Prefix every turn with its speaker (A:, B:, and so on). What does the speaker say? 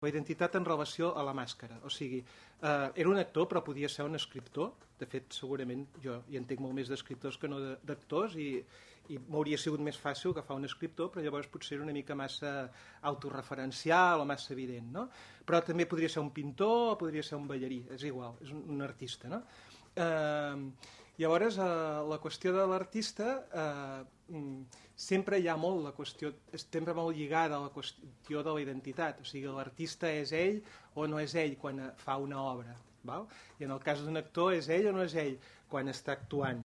A: La identitat en relació a la màscara. O sigui, era un actor però podia ser un escriptor. De fet, segurament jo hi entenc molt més d'escriptors que no d'actors i m'hauria sigut més fàcil agafar un escriptor, però llavors potser era una mica massa autoreferencial o massa evident, no? Però també podria ser un pintor o podria ser un ballarí, és igual, és un artista, no? Llavors, la qüestió de l'artista sempre hi ha molt la qüestió, sempre molt lligada a la qüestió de la identitat, o sigui, l'artista és ell o no és ell quan fa una obra, val? I en el cas d'un actor és ell o no és ell quan està actuant.